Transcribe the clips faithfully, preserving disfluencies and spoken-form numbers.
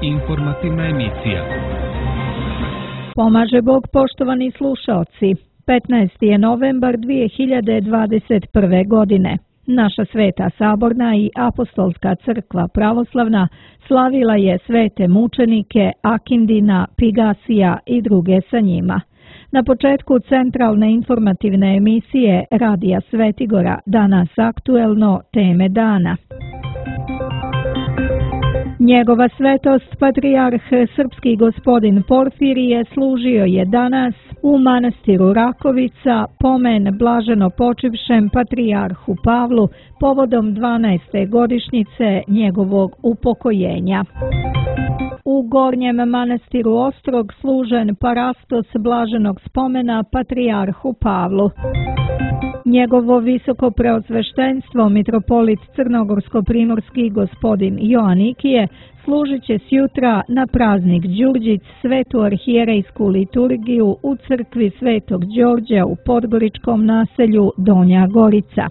Informativna emisija. Pomaže Bog, poštovani slušaoci. petnaesti je novembar dvije hiljade dvadeset prve. godine. Naša Sveta Saborna i Apostolska crkva pravoslavna slavila je svete mučenike Akindina, Pigasija i druge sa njima. Na početku centralne informativne emisije Radija Svetigora, danas aktuelno teme dana. Njegova svetost, patrijarh srpski gospodin Porfirije, služio je danas u manastiru Rakovica pomen blaženo počivšem patrijarhu Pavlu povodom dvanaeste godišnjice njegovog upokojenja. U Gornjem manastiru Ostrog služen parastos blaženog spomena patrijarhu Pavlu. Njegovo visoko preosveštenstvo mitropolit Crnogorsko-primorski gospodin Joanikije služit će sjutra na praznik Đurđić svetu arhijerejsku liturgiju u crkvi Svetog Đorđa u podgoričkom naselju Donja Gorica.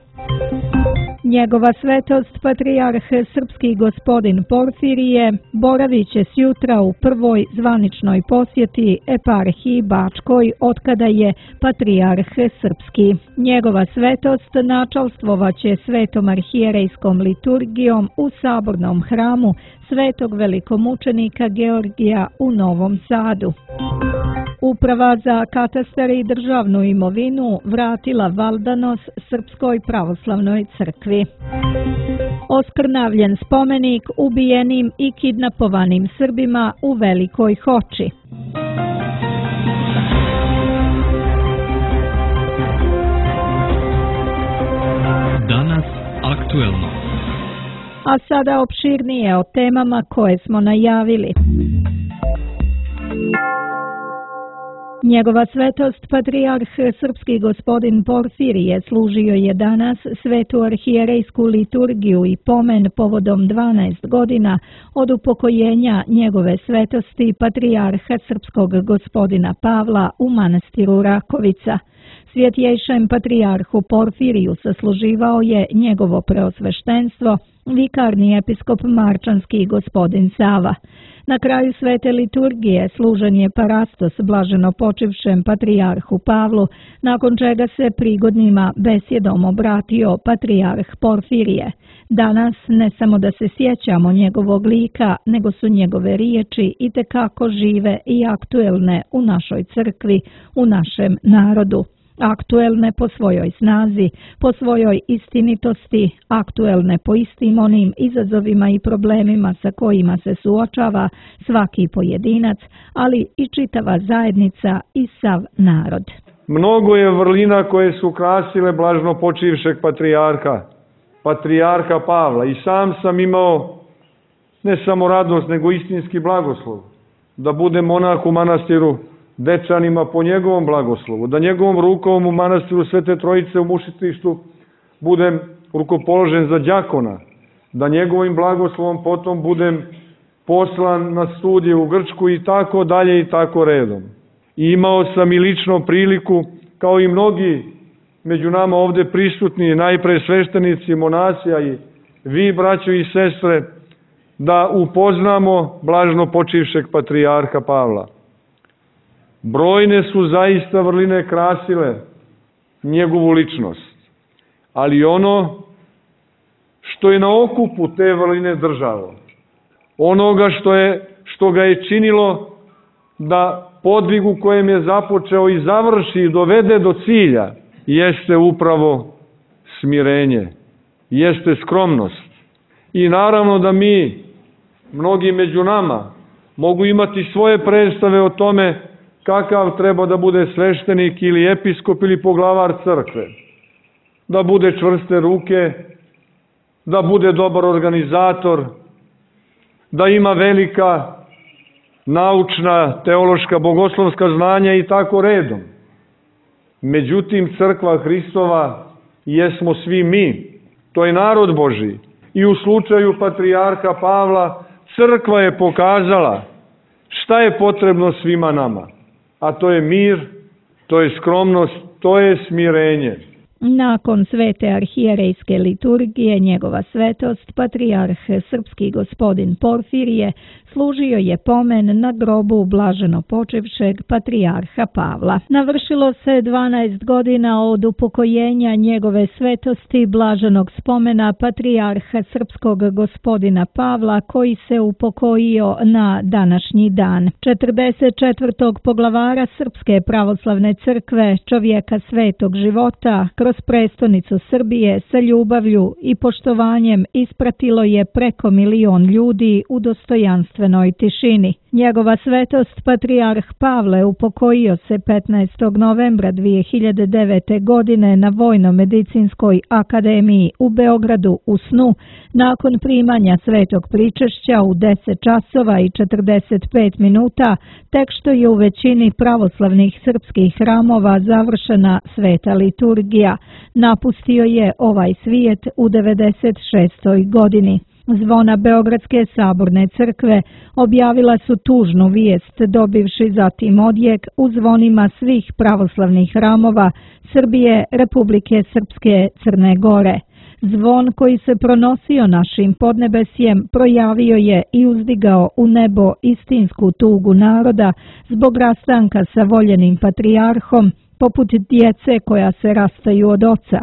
Njegova svetost, patrijarh srpski gospodin Porfirije, boravit će sjutra u prvoj zvaničnoj posjeti eparhiji Bačkoj otkada je patrijarh srpski. Njegova svetost načalstvovaće svetom arhijerejskom liturgijom u sabornom hramu svetog velikomučenika Georgija u Novom Sadu. Uprava za katastar i državnu imovinu vratila valdanos Srpskoj pravoslavnoj crkvi. Oskrnavljen spomenik ubijenim i kidnapovanim Srbima u Velikoj Hoči. Danas aktuelno. A sada opširnije o temama koje smo najavili. Njegova svetost, patrijarh srpski gospodin Porfirije, služio je danas svetu arhijerejsku liturgiju i pomen povodom dvanaest godina od upokojenja njegove svetosti patrijarha srpskog gospodina Pavla u manastiru Rakovica. Svjetjejšem patrijarhu Porfiriju sasluživao je njegovo preosveštenstvo, vikarni episkop marčanski gospodin Sava. Na kraju svete liturgije služen je parastos blaženo počivšem patrijarhu Pavlu, nakon čega se prigodnima besjedom obratio patrijarh Porfirije. Danas ne samo da se sjećamo njegovog lika, nego su njegove riječi itekako žive i aktuelne u našoj crkvi, u našem narodu. Aktuelne po svojoj snazi, po svojoj istinitosti, aktuelne po istim onim izazovima i problemima sa kojima se suočava svaki pojedinac, ali i čitava zajednica i sav narod. Mnogo je vrlina koje su krasile blažno počivšeg patrijarha, patrijarha Pavla, i sam sam imao ne samo radost, nego istinski blagoslov da budem monah u manastiru Dečanima po njegovom blagoslovu, da njegovom rukom u manastiru Svete Trojice u Mušitištu budem rukopoložen za đakona, da njegovim blagoslovom potom budem poslan na studije u Grčku i tako dalje i tako redom. I imao sam i lično priliku, kao i mnogi među nama ovde prisutni, najpre sveštenici, monasija i vi, braćo i sestre, da upoznamo blažno počivšeg patrijarha Pavla. Brojne su zaista vrline krasile njegovu ličnost, ali ono što je na okupu te vrline držalo, onoga što, je, što ga je činilo da podvigu kojem je započeo i završi i dovede do cilja, jeste upravo smirenje, jeste skromnost. I naravno da mi, mnogi među nama, mogu imati svoje predstave o tome kakav treba da bude sveštenik ili episkop ili poglavar crkve. Da bude čvrste ruke, da bude dobar organizator, da ima velika naučna, teološka, bogoslovska znanja i tako redom. Međutim, crkva Hristova jesmo svi mi, to je narod Božji. I u slučaju patrijarha Pavla crkva je pokazala šta je potrebno svima nama. A to je mir, to je skromnost, to je smirenje. Nakon svete arhijerejske liturgije, njegova svetost, patrijarh srpski gospodin Porfirije, služio je pomen na grobu blaženo počivšeg patrijarha Pavla. Navršilo se dvanaest godina od upokojenja njegove svetosti blaženog spomena patrijarha srpskog gospodina Pavla, koji se upokojio na današnji dan. četrdeset četvrtog poglavara Srpske pravoslavne crkve, čovjeka svetog života, kroz prestonicu Srbije sa ljubavlju i poštovanjem ispratilo je preko milion ljudi u dostojanstvenoj tišini. Njegova svetost patrijarh Pavle upokojio se petnaestog novembra dvije hiljade devete. godine na Vojno-medicinskoj akademiji u Beogradu u snu, nakon primanja svetog pričešća u deset časova i četrdeset pet minuta, tek što je u većini pravoslavnih srpskih hramova završena sveta liturgija. Napustio je ovaj svijet u devedeset šestoj. godini. Zvona Beogradske saborne crkve objavila su tužnu vijest, dobivši zatim odjek u zvonima svih pravoslavnih hramova Srbije, Republike Srpske, Crne Gore. Zvon koji se pronosio našim podnebesjem projavio je i uzdigao u nebo istinsku tugu naroda zbog rastanka sa voljenim patrijarhom, poput djece koja se rastaju od oca.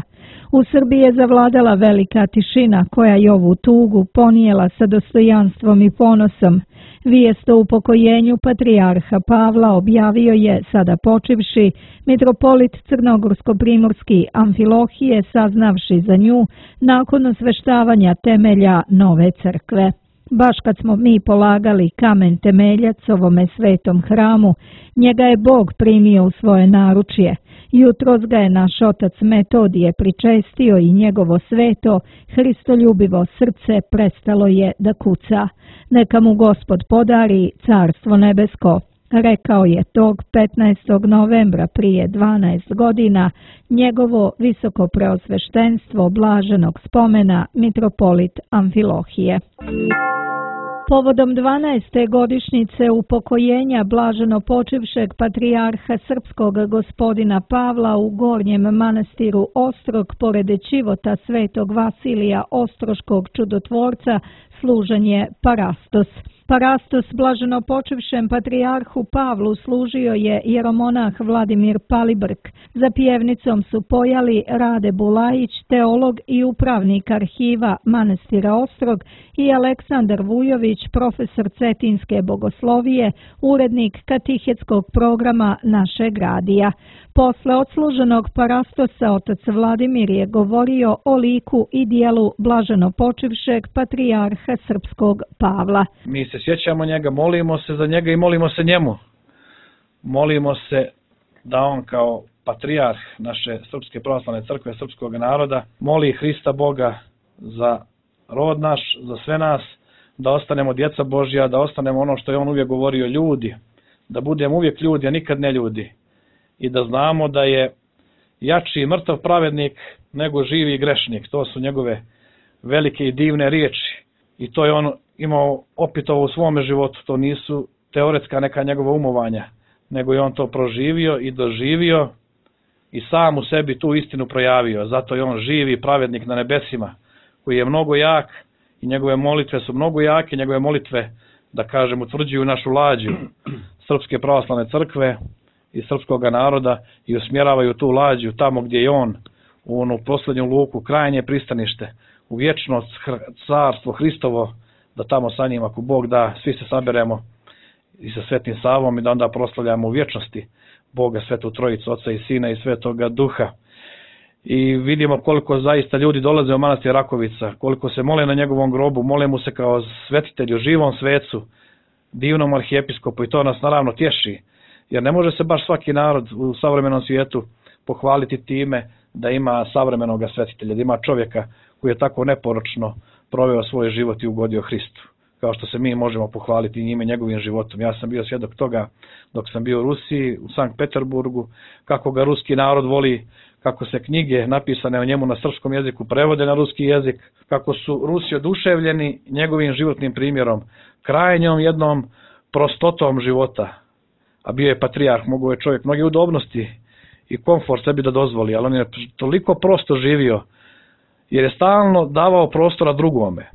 U Srbiji je zavladala velika tišina koja je ovu tugu ponijela sa dostojanstvom i ponosom. Vijest o upokojenju patrijarha Pavla objavio je, sada počivši, mitropolit Crnogorsko-primorski Amfilohije, saznavši za nju nakon osveštavanja temelja nove crkve. Baš kad smo mi polagali kamen temeljac ovome svetom hramu, njega je Bog primio u svoje naručje. Jutros ga je naš otac Metodije pričestio i njegovo sveto, hristoljubivo srce prestalo je da kuca. Neka mu Gospod podari carstvo nebesko, rekao je tog petnaestog novembra prije dvanaest godina njegovo visoko preosveštenstvo blaženog spomena mitropolit Amfilohije. Povodom dvanaeste godišnjice upokojenja blaženo počivšeg patrijarha srpskog gospodina Pavla u Gornjem manastiru Ostrog pored Ćivota svetog Vasilija Ostroškog čudotvorca služen je Parastos. Parastos blaženo počivšem patrijarhu Pavlu služio je jeromonah Vladimir Palibrk. Za pjevnicom su pojali Rade Bulajić, teolog i upravnik arhiva manastira Ostrog, i Aleksandar Vujović, profesor cetinske bogoslovije, urednik katihetskog programa našeg radija. Posle odsluženog Parastosa otac Vladimir je govorio o liku i dijelu blaženo počivšeg patrijarha srpskog Pavla. Mi se sjećamo njega, molimo se za njega i molimo se njemu. Molimo se da on kao patrijarh naše Srpske pravoslavne crkve, srpskog naroda, moli Hrista Boga za rod naš, za sve nas, da ostanemo djeca Božja, da ostanemo ono što je on uvijek govorio, ljudi, da budemo uvijek ljudi, a nikad ne ljudi. I da znamo da je jači i mrtav pravednik nego živi i grešnik. To su njegove velike i divne riječi. I to je on imao opitovo u svome životu. To nisu teoretska neka njegova umovanja, nego je on to proživio i doživio i sam u sebi tu istinu projavio. Zato je on živi pravednik na nebesima, koji je mnogo jak i njegove molitve su mnogo jake. Njegove molitve, da kažem, utvrđuju našu lađu Srpske pravoslavne crkve i srpskog naroda i usmjeravaju tu lađu tamo gdje je on, u onu posljednju luku, krajnje pristanište, u vječnost, carstvo Hristovo, da tamo sa njim, ako Bog da, svi se saberemo i sa Svetim Savom i da onda proslavljamo u vječnosti Boga, Svetu Trojicu, Oca i Sina i Svetoga Duha. I vidimo koliko zaista ljudi dolaze u manastir Rakovica, koliko se mole na njegovom grobu, mole mu se kao svetitelju, živom svecu, divnom arhijepiskopu, i to nas naravno tješi. Jer ne može se baš svaki narod u savremenom svijetu pohvaliti time da ima savremenog svetitelja, da ima čovjeka koji je tako neporočno proveo svoj život i ugodio Hristu. Kao što se mi možemo pohvaliti njime, njegovim životom. Ja sam bio svjedok toga dok sam bio u Rusiji, u Sankt Peterburgu, kako ga ruski narod voli, kako se knjige napisane o njemu na srpskom jeziku prevode na ruski jezik, kako su Rusi oduševljeni njegovim životnim primjerom, krajnjom jednom prostotom života. A bio je patrijarh, mogao je čovjek mnoge udobnosti i komfort sebi da dozvoli, ali on je toliko prosto živio, jer je stalno davao prostora drugome.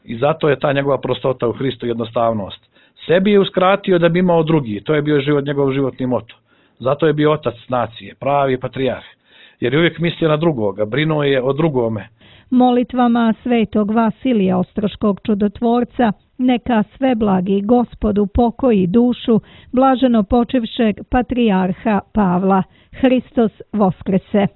I zato je ta njegova prostota u Hristu, jednostavnost. Sebi je uskratio da bi imao drugi, to je bio život, njegov životni moto. Zato je bio otac nacije, pravi patrijarh, jer je uvijek mislio na drugoga, brinuo je o drugome. Molitvama svetog Vasilija Ostroškog čudotvorca neka sve blagi Gospod upokoji dušu blaženo počivšeg patrijarha Pavla. Hristos Voskrese.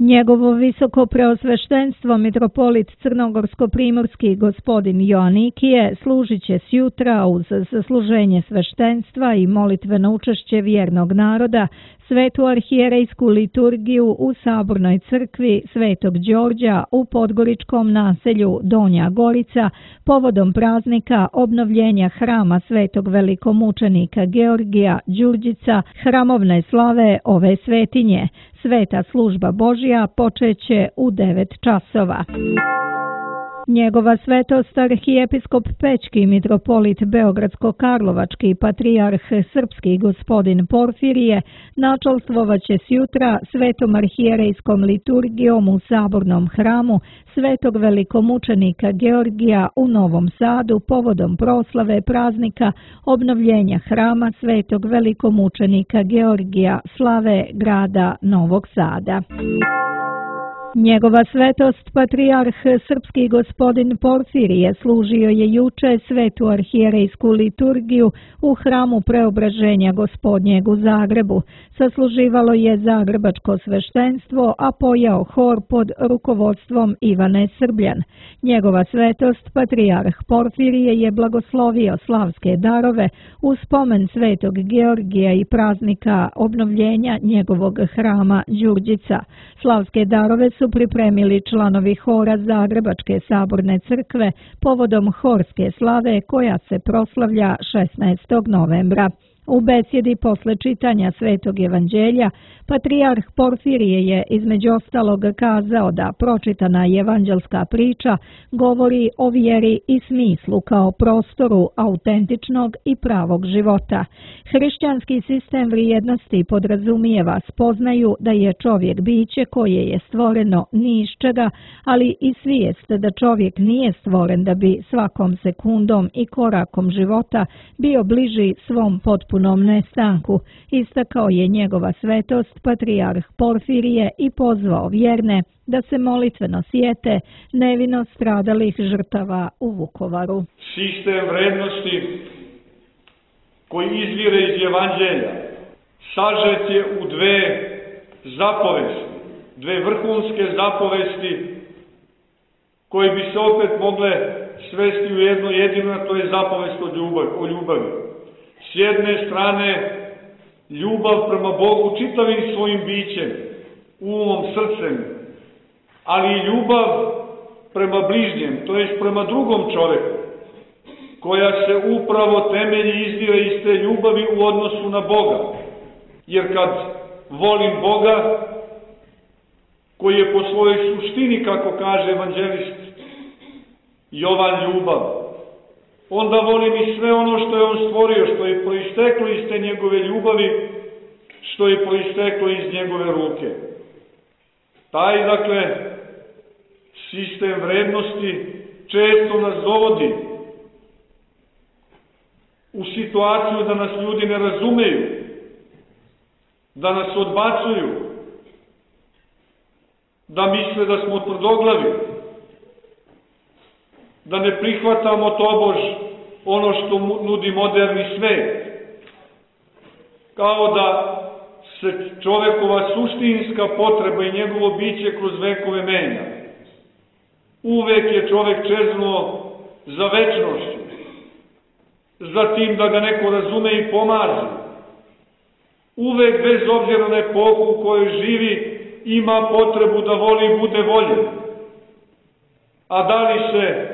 Njegovo visoko preosveštenstvo mitropolit crnogorsko-primorski gospodin Joanikije služit će sjutra uz zasluženje sveštenstva i molitveno učešće vjernog naroda svetu arhijerejsku liturgiju u Sabornoj crkvi Svetog Đorđa u podgoričkom naselju Donja Gorica povodom praznika obnovljenja hrama svetog velikomučenika Georgija Đurđica, hramovne slave ove svetinje. Sveta služba Božja počeće u devet časova. Njegova svetost arhijepiskop Pećki mitropolit Beogradsko-Karlovački patrijarh srpski gospodin Porfirije načalstvovaće sjutra svetom arhijerejskom liturgijom u Sabornom hramu svetog velikomučenika Georgija u Novom Sadu povodom proslave praznika obnovljenja hrama svetog velikomučenika Georgija slave grada Novog Sada. Njegova svetost patrijarh srpski gospodin Porfirije služio je juče svetu arhijerejsku liturgiju u hramu Preobraženja Gospodnjeg u Zagrebu. Sasluživalo je zagrebačko sveštenstvo, a pojao hor pod rukovodstvom Ivane Srbljan. Njegova svetost patrijarh Porfirije je blagoslovio slavske darove u spomen svetog Georgija i praznika obnovljenja njegovog hrama Đurđica. Slavske darove su pripremili članovi hora Zagrebačke saborne crkve povodom horske slave koja se proslavlja šesnaestog novembra. U besjedi posle čitanja Svetog evanđelja, patrijarh Porfirije je između ostalog kazao da pročitana evanđelska priča govori o vjeri i smislu kao prostoru autentičnog i pravog života. Hrišćanski sistem vrijednosti podrazumijeva spoznaju da je čovjek biće koje je stvoreno ni iz čega, ali i svijest da čovjek nije stvoren da bi svakom sekundom i korakom života bio bliži svom potpunom nestanku. Istakao je njegova svetost patrijarh Porfirije i pozvao vjerne da se molitveno sjete nevino stradalih žrtava u Vukovaru. Sistem vrednosti koji izvire iz evanđelja sažet je u dve zapovesti, dve vrhunske zapovesti koje bi se opet mogle svesti u jedno jedino, to je zapovest o ljubavi. O ljubavi. S jedne strane, ljubav prema Bogu čitavim svojim bićem, umom, srcem, ali i ljubav prema bližnjem, to jest prema drugom čovjeku, koja se upravo temelji izdire iz te ljubavi u odnosu na Boga. Jer kad volim Boga, koji je po svojoj suštini, kako kaže evanđelist Jovan, ljubav, onda volim i sve ono što je on stvorio, što je proisteklo iz te njegove ljubavi, što je proisteklo iz njegove ruke. Taj, dakle, sistem vrednosti često nas dovodi u situaciju da nas ljudi ne razumeju, da nas odbacuju, da misle da smo tvrdoglavi, da ne prihvatamo tobož ono što nudi moderni svet. Kao da se čovekova suštinska potreba i njegovo biće kroz vekove menja. Uvek je čovek čeznuo za večnošću, za tim da ga neko razume i pomaže. Uvek, bez obzira na epohu u kojoj živi, ima potrebu da voli i bude voljen. A da li se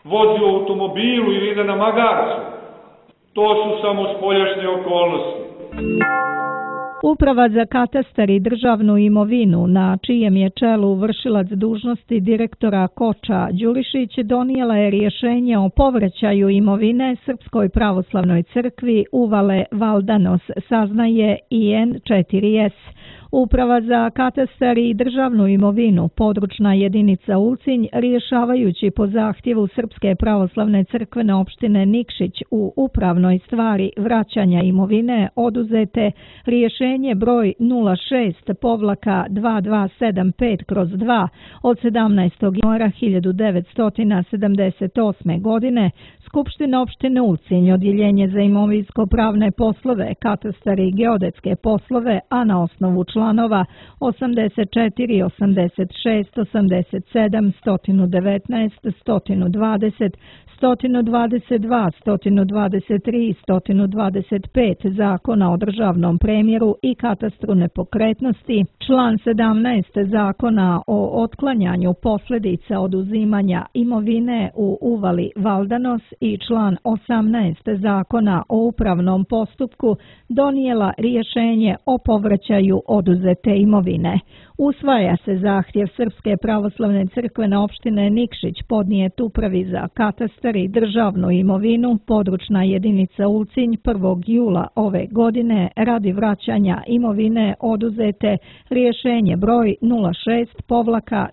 vozi u automobilu ili ide na magarcu, to su samo spoljašnje okolnosti. Uprava za katastar i državnu imovinu, na čijem je čelu vršilac dužnosti direktora Koča Đurišić, donijela je rješenje o povraćaju imovine Srpskoj pravoslavnoj crkvi Uvale Valdanos, saznaje I N četiri S. Uprava za katastar i državnu imovinu, područna jedinica Ulcinj, rješavajući po zahtjevu Srpske pravoslavne crkvene opštine Nikšić u upravnoj stvari vraćanja imovine oduzete rješenje broj nula šest dva dva sedam pet kroz dva od sedamnaestog januara hiljadu devetsto sedamdeset osme. godine, Skupština opštine Ulcinj, odjeljenje za imovinsko-pravne poslove, katastar i geodetske poslove, a na osnovu članova osamdeset četiri, osamdeset šest, osamdeset sedam, sto devetnaest, sto dvadeset, sto dvadeset dva, sto dvadeset tri i sto dvadeset pet Zakona o državnom premjeru i katastru nepokretnosti, član sedamnaest Zakona o otklanjanju posljedica oduzimanja imovine u Uvali Valdanos i član osamnaest Zakona o upravnom postupku donijela rješenje o povraćaju oduzete imovine. Usvaja se zahtjev Srpske pravoslavne crkvene opštine Nikšić podnijet upravi za katastar i državnu imovinu, područna jedinica Ulcinj prvog jula ove godine radi vraćanja imovine oduzete rješenje broj nula šest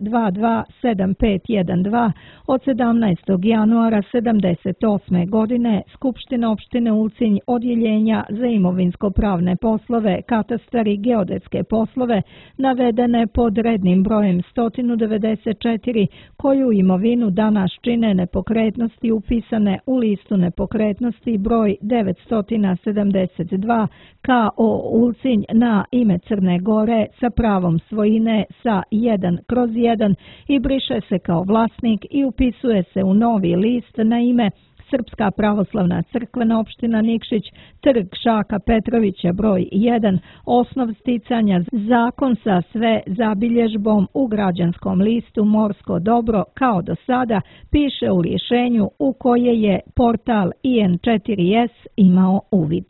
dva dva sedam pet jedan dva od sedamnaestog januara sedamdeset osme. godine Skupština opštine Ulcinj, odjeljenja za imovinsko-pravne poslove, katastar i geodetske poslove navedene pod rednim brojem sto devedeset četiri, koju imovinu danas čine nepokretnosti upisane u listu nepokretnosti broj devetsto sedamdeset dva K O Ulcinj na ime Crne Gore sa pravom svojine sa jedan kroz jedan i briše se kao vlasnik i upisuje se u novi list na ime Srpska pravoslavna crkvena opština Nikšić, trg Šaka Petrovića broj jedan, osnov sticanja zakon sa sve zabilježbom u građanskom listu Morsko dobro kao do sada, piše u rješenju u koje je portal I N četiri S imao uvid.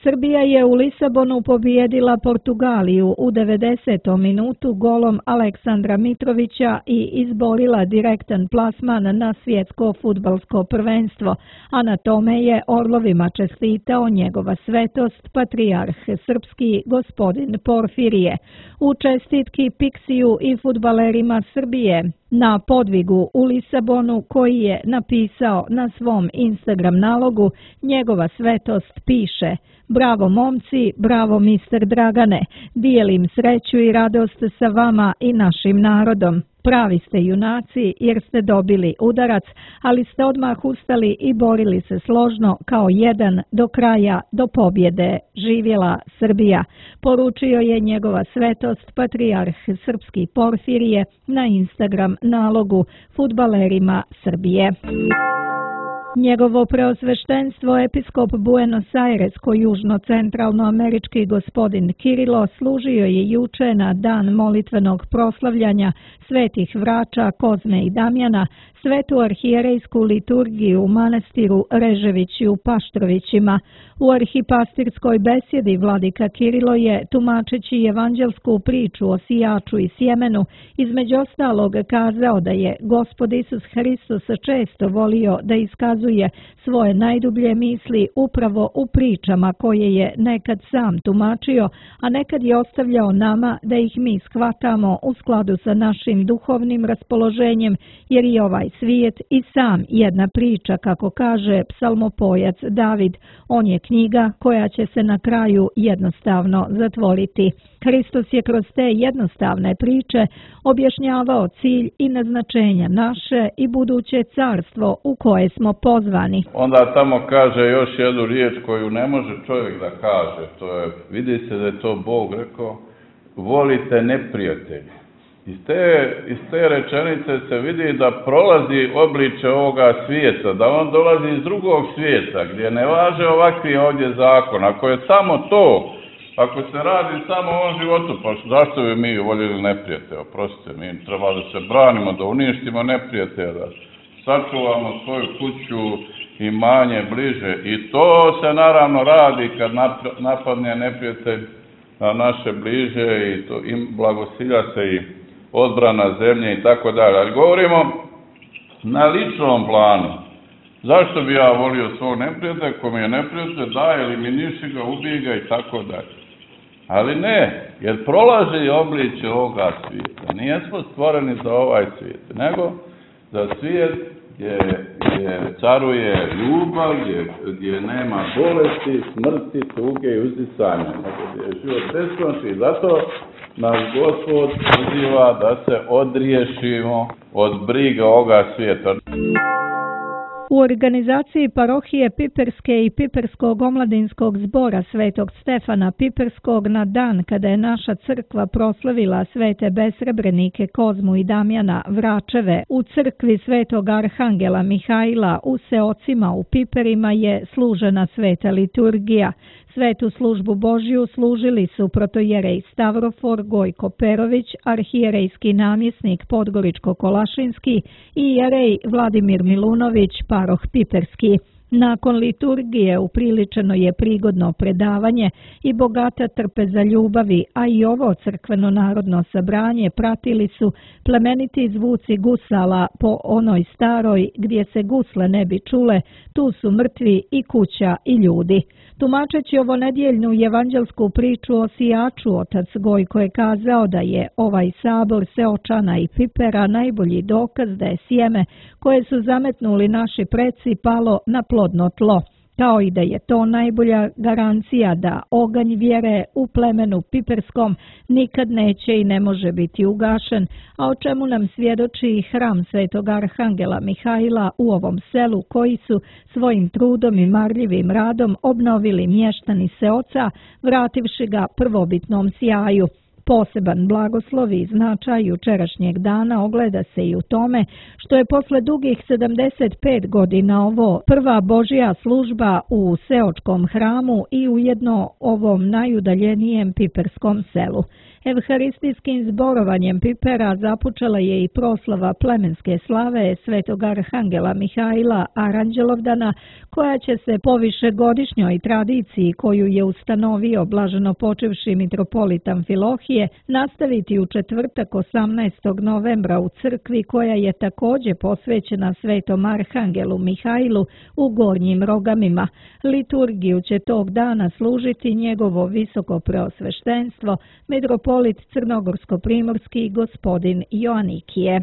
Srbija je u Lisabonu pobijedila Portugaliju u devedesetom minutu golom Aleksandra Mitrovića i izborila direktan plasman na svjetsko fudbalsko prvenstvo, a na tome je Orlovima čestitao njegova svetost, patrijarh srpski gospodin Porfirije. U čestitki Piksiju i fudbalerima Srbije na podvigu u Lisabonu, koji je napisao na svom Instagram nalogu, njegova svetost piše: bravo momci, bravo mister Dragane, dijelim sreću i radost sa vama i našim narodom. Pravi ste junaci jer ste dobili udarac, ali ste odmah ustali i borili se složno kao jedan do kraja, do pobjede. Živjela Srbija, poručio je njegova svetost, patrijarh srpski Porfirije na Instagram nalogu fudbalerima Srbije. Njegovo preosveštenstvo episkop Buenos Airesko južno-centralnoamerički gospodin Kirilo služio je juče na dan molitvenog proslavljanja svetih vrača Kozme i Damjana svetu arhijerejsku liturgiju u manastiru Reževići u Paštrovićima. U arhipastirskoj besjedi vladika Kirilo je, tumačeći evanđelsku priču o sijaču i sjemenu, između ostalog kazao da je Gospod Isus Hristos često volio da iskazuje svoje najdublje misli upravo u pričama koje je nekad sam tumačio, a nekad je ostavljao nama da ih mi shvatamo u skladu sa našim duhovnim raspoloženjem, jer i ovaj svijet i sam jedna priča, kako kaže psalmopojac David. On je knjiga koja će se na kraju jednostavno zatvoriti. Hristos je kroz te jednostavne priče objašnjavao cilj i naznačenja naše i buduće carstvo u koje smo pozvani. Onda tamo kaže još jednu riječ koju ne može čovjek da kaže. To je, vidi se da je to Bog rekao, volite neprijatelje. Iz te, iz te rečenice se vidi da prolazi obliče ovoga svijeta, da on dolazi iz drugog svijeta, gdje ne važe ovakvi ovdje zakon. Ako je samo to, ako se radi samo o ovom životu, pa zašto bi mi voljeli neprijatelje? Oprostite, mi treba da se branimo, da uništimo neprijatelja, da sačuvamo svoju kuću imanje bliže. I to se naravno radi kad napadne neprijatelj na naše bliže i, to, i blagosilja se i odbrana zemlje i tako dalje. Ali govorimo na ličnom planu. Zašto bi ja volio svog neprijatelja, ko mi je neprijatelj, da, eliminiši ga, ubij ga i tako dalje. Ali ne, jer prolaže i obliče ovoga svijeta. Nijesmo stvoreni za ovaj svijet, nego za svijet gdje, gdje caruje ljubav, gdje, gdje nema bolesti, smrti, tuge i uzdisanja, nego gdje je život beskonačni. I zato nas Gospod poziva da se odriješimo od briga ovoga svijeta. U organizaciji parohije Piperske i Piperskog omladinskog zbora Svetog Stefana Piperskog na dan kada je naša crkva proslavila svete besrebrenike Kozmu i Damjana Vračeve u crkvi Svetog Arhangela Mihajla u Seocima u Piperima je služena sveta liturgija. Svetu službu Božju služili su protojerej Stavrofor Gojko Perović, arhijerejski namjesnik Podgoričko-Kolašinski i jerej Vladimir Milunović, paroh Piperski. Nakon liturgije upriličeno je prigodno predavanje i bogata trpeza ljubavi, a i ovo crkveno narodno sabranje pratili su plemeniti zvuci gusala po onoj staroj gdje se gusle ne bi čule, tu su mrtvi i kuća i ljudi. Tumačeći ovo nedjeljnu evanđelsku priču o sijaču, otac Gojko je kazao da je ovaj sabor Seočana i Pipera najbolji dokaz da je sjeme koje su zametnuli naši preci palo na plodno tlo, kao i da je to najbolja garancija da oganj vjere u plemenu Piperskom nikad neće i ne može biti ugašen, a o čemu nam svjedoči i hram Svetog Arhangela Mihajla u ovom selu koji su svojim trudom i marljivim radom obnovili mještani Seoca, vrativši ga prvobitnom sjaju. Poseban blagoslov i značaj jučerašnjeg dana ogleda se i u tome što je posle dugih sedamdeset pet godina ovo prva Božja služba u Seočkom hramu i ujedno ovom najudaljenijem piperskom selu. Evharistijskim zborovanjem Pipera započela je i proslava plemenske slave Svetog Arhangela Mihajla Aranđelovdana, koja će se po višegodišnjoj tradiciji koju je ustanovio blaženo počivši mitropolit Amfilohije nastaviti u četvrtak osamnaestog novembra u crkvi koja je također posvećena Svetom Arhangelu Mihajlu u Gornjim Rogamima. Liturgiju će tog dana služiti njegovo visoko preosveštenstvo, mitropolit Crnogorsko-primorski gospodin Joanikije.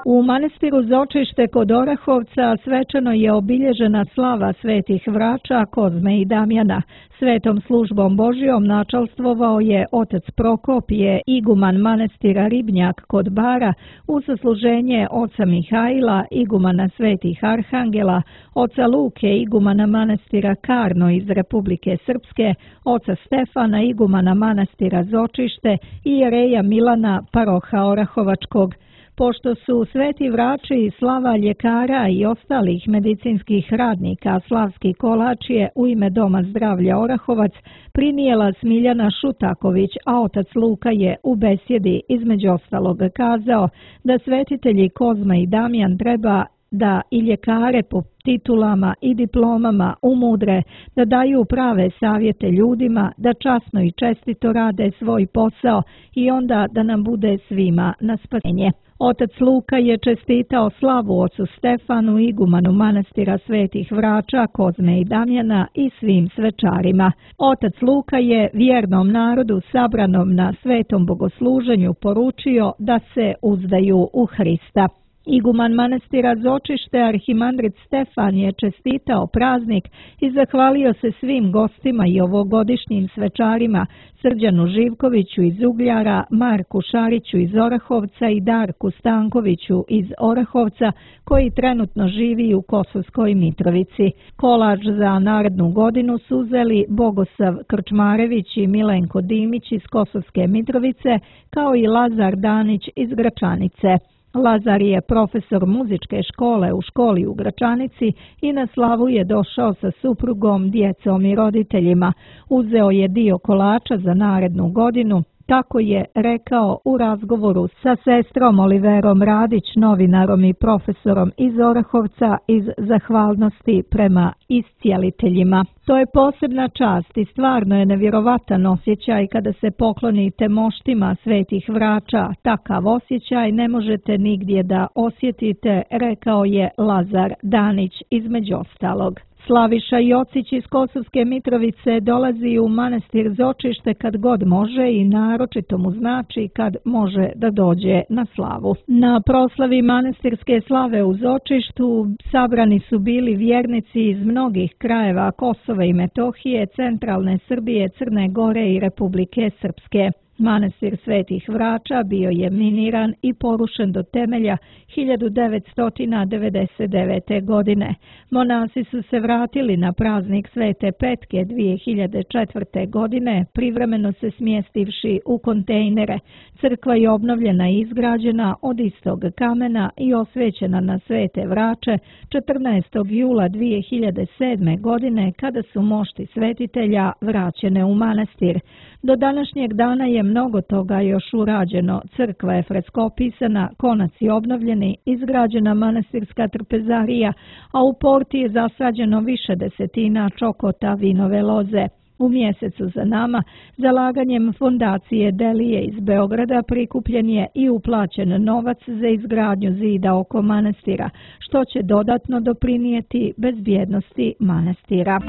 U manastiru Zočište kod Orahovca svečano je obilježena slava svetih Vrača, Kozme i Damjana. Svetom službom Božjom načalstvovao je otac Prokopije, iguman manastira Ribnjak kod Bara, u sasluženje oca Mihajla, igumana svetih Arhangela, oca Luke, igumana manastira Karno iz Republike Srpske, oca Stefana, igumana manastira Zočište i jereja Milana, paroha Orahovačkog. Pošto su sveti Vrači i slava ljekara i ostalih medicinskih radnika, slavski kolač je u ime Doma zdravlja Orahovac prinijela Smiljana Šutaković, a otac Luka je u besjedi između ostalog kazao da svetitelji Kozma i Damjan treba da i ljekare po titulama i diplomama umudre, da daju prave savjete ljudima, da časno i čestito rade svoj posao i onda da nam bude svima na spasenje. Otac Luka je čestitao slavu ocu Stefanu, igumanu manastira svetih Vrača, Kozme i Damjana i svim svečarima. Otac Luka je vjernom narodu sabranom na svetom bogosluženju poručio da se uzdaju u Hrista. Iguman manastira Zočište, arhimandrit Stefan, je čestitao praznik i zahvalio se svim gostima i ovogodišnjim svečarima, Srđanu Živkoviću iz Ugljara, Marku Šariću iz Orahovca i Darku Stankoviću iz Orahovca, koji trenutno živi u Kosovskoj Mitrovici. Kolač za narednu godinu su uzeli Bogosav Krčmarević i Milenko Dimić iz Kosovske Mitrovice, kao i Lazar Danić iz Gračanice. Lazar je profesor muzičke škole u školi u Gračanici i na slavu je došao sa suprugom, djecom i roditeljima. Uzeo je dio kolača za narednu godinu, Kako je rekao u razgovoru sa sestrom Oliverom Radić, novinarom i profesorom iz Orahovca, iz zahvalnosti prema iscijeliteljima. To je posebna čast i stvarno je nevjerovatan osjećaj kada se poklonite moštima svetih vrača. Takav osjećaj ne možete nigdje da osjetite, rekao je Lazar Danić između ostalog. Slaviša Jocić iz Kosovske Mitrovice dolazi u manastir Zočište kad god može i naročito mu znači kad može da dođe na slavu. Na proslavi manastirske slave u Zočištu sabrani su bili vjernici iz mnogih krajeva Kosova i Metohije, centralne Srbije, Crne Gore i Republike Srpske. Manastir Svetih Vrača bio je miniran i porušen do temelja hiljadu devetsto devedeset devete. godine. Monasi su se vratili na praznik Svete Petke dvije hiljade četvrte. godine, privremeno se smjestivši u kontejnere. Crkva je obnovljena i izgrađena od istog kamena i osvećena na Svete Vrače četrnaestog jula dvije hiljade sedme. godine kada su mošti svetitelja vraćene u manastir. Do današnjeg dana je mnogo toga još urađeno. Crkva je freskopisana, konaci obnovljeni, izgrađena manastirska trpezarija, a u porti je zasađeno više desetina čokota vinove loze. U mjesecu za nama, zalaganjem fondacije Delije iz Beograda prikupljen je i uplaćen novac za izgradnju zida oko manastira, što će dodatno doprinijeti bezbjednosti manastira.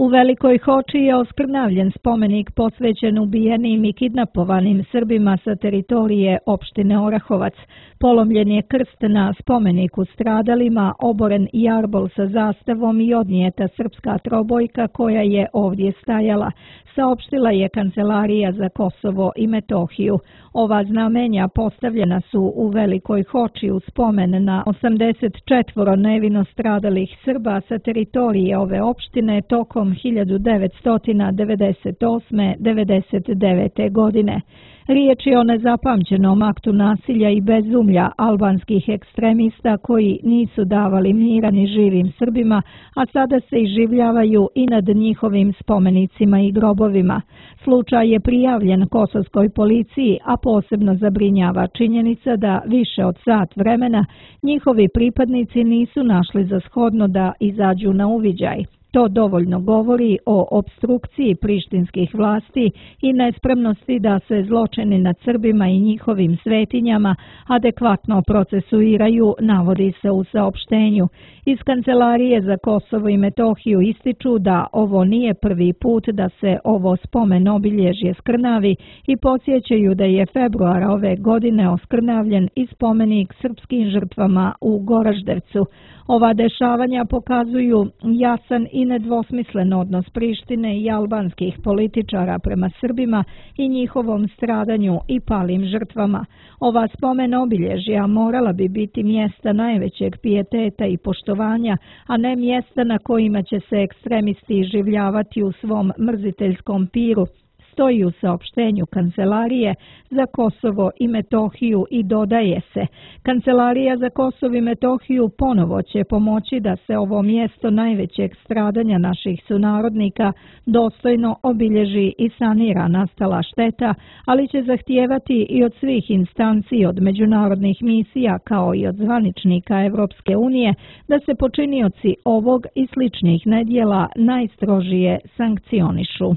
U Velikoj Hoči je oskrnavljen spomenik posvećen ubijenim i kidnapovanim Srbima sa teritorije opštine Orahovac. Polomljen je krst na spomeniku stradalima, oboren jarbol sa zastavom i odnijeta srpska trobojka koja je ovdje stajala, saopštila je Kancelarija za Kosovo i Metohiju. Ova znamenja postavljena su u Velikoj Hoči u spomen na osamdeset četvoro nevino stradalih Srba sa teritorije ove opštine tokom hiljadu devetsto devedeset osme do devedeset devete. godine. Riječ je o nezapamćenom aktu nasilja i bezumlja albanskih ekstremista koji nisu davali mira ni živim Srbima, a sada se iživljavaju i nad njihovim spomenicima i grobovima. Slučaj je prijavljen kosovskoj policiji, a posebno zabrinjava činjenica da više od sat vremena njihovi pripadnici nisu našli za shodno da izađu na uviđaj. To dovoljno govori o opstrukciji prištinskih vlasti i nespremnosti da se zločini nad Srbima i njihovim svetinjama adekvatno procesuiraju, navodi se u saopštenju. Iz Kancelarije za Kosovo i Metohiju ističu da ovo nije prvi put da se ovo spomen obilježje skrnavi i podsjećaju da je februara ove godine oskrnavljen i spomenik srpskim žrtvama u Goraždevcu. Ova dešavanja pokazuju jasan i nedvosmislen odnos Prištine i albanskih političara prema Srbima i njihovom stradanju i palim žrtvama. Ova spomen obilježja morala bi biti mjesta najvećeg pijeteta i poštovanja, a ne mjesta na kojima će se ekstremisti iživljavati u svom mrziteljskom piru, stoji u saopštenju Kancelarije za Kosovo i Metohiju i dodaje se: Kancelarija za Kosovo i Metohiju ponovo će pomoći da se ovo mjesto najvećeg stradanja naših sunarodnika dostojno obilježi i sanira nastala šteta, ali će zahtijevati i od svih instanci, od međunarodnih misija kao i od zvaničnika Evropske unije da se počinioci ovog i sličnih nedjela najstrožije sankcionišu.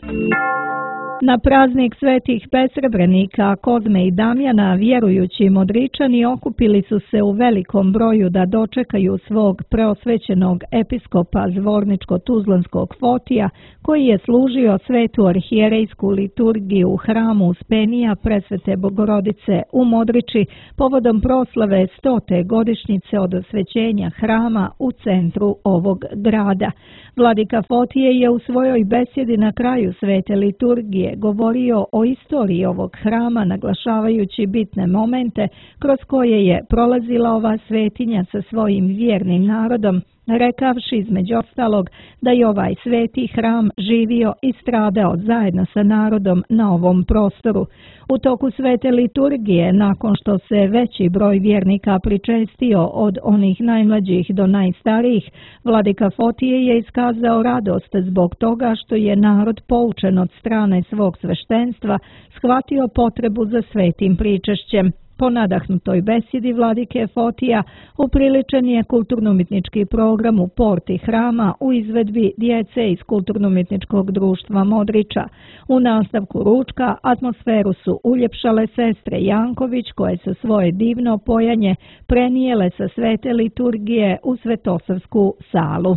Na praznik svetih besrebrenika Kozme i Damjana vjerujući Modričani okupili su se u velikom broju da dočekaju svog preosvećenog episkopa Zvorničko-Tuzlanskog Fotija, koji je služio svetu arhijerejsku liturgiju u hramu Uspenija Presvete Bogorodice u Modriči povodom proslave stote godišnjice od osvećenja hrama u centru ovog grada. Vladika Fotije je u svojoj besjedi na kraju svete liturgije govorio o istoriji ovog hrama, naglašavajući bitne momente kroz koje je prolazila ova svetinja sa svojim vjernim narodom rekavši između ostalog da je ovaj sveti hram živio i stradao zajedno sa narodom na ovom prostoru. U toku svete liturgije, nakon što se veći broj vjernika pričestio od onih najmlađih do najstarijih, vladika Fotije je iskazao radost zbog toga što je narod poučen od strane svog sveštenstva shvatio potrebu za svetim pričešćem. Po nadahnutoj besjedi vladike Fotija upriličen je kulturno-umjetnički program u porti hrama u izvedbi djece iz kulturno-umjetničkog društva Modriča. U nastavku ručka atmosferu su uljepšale sestre Janković koje su svoje divno pojanje prenijele sa svete liturgije u Svetosavsku salu.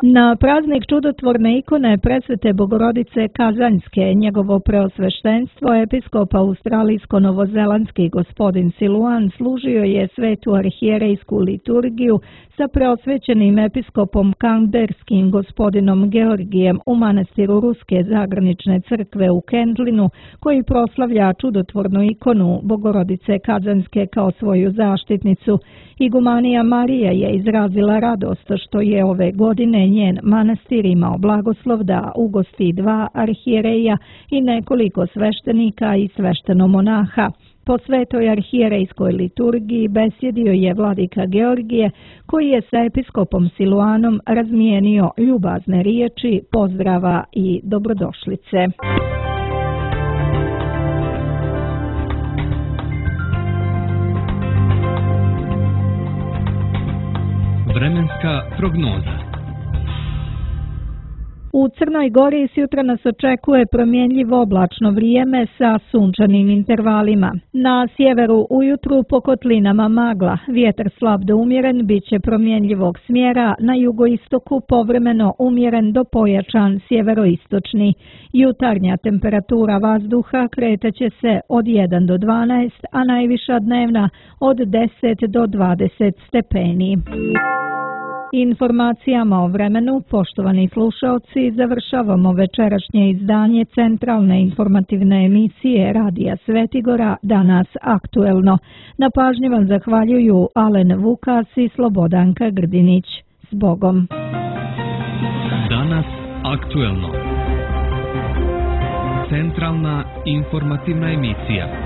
Na praznik čudotvorne ikone presvete Bogorodice Kazanjske, njegovo preosveštenstvo, episkop australijsko-novozelandski gospodin Siluan služio je svetu arhijerejsku liturgiju sa preosvećenim episkopom kanberskim gospodinom Georgijem u manastiru Ruske zagranične crkve u Kendlinu, koji proslavlja čudotvornu ikonu Bogorodice Kazanjske kao svoju zaštitnicu. Igumanija Marija je izrazila radost što je ove godine njen manastir imao blagoslov da ugosti dva arhijereja i nekoliko sveštenika i sveštenomonaha. Po svetoj arhijerejskoj liturgiji besjedio je vladika Georgije, koji je sa episkopom Siluanom razmijenio ljubazne riječi, pozdrava i dobrodošlice. Vremenska prognoza. U Crnoj Gori sjutra nas očekuje promjenjivo oblačno vrijeme sa sunčanim intervalima. Na sjeveru ujutru po kotlinama magla, vjetar slab do umjeren bit će promjenjivog smjera, na jugoistoku povremeno umjeren do pojačan sjeveroistočni. Jutarnja temperatura vazduha kretaće se od jedan do dvanaest, a najviša dnevna od deset do dvadeset stepeni. Informacijama o vremenu, poštovani slušaoci, završavamo večerašnje izdanje centralne informativne emisije Radija Svetigora Danas aktuelno. Na pažnji vam zahvaljuju Alen Vukas i Slobodanka Grdinić. S Bogom! Danas aktuelno. Centralna informativna emisija.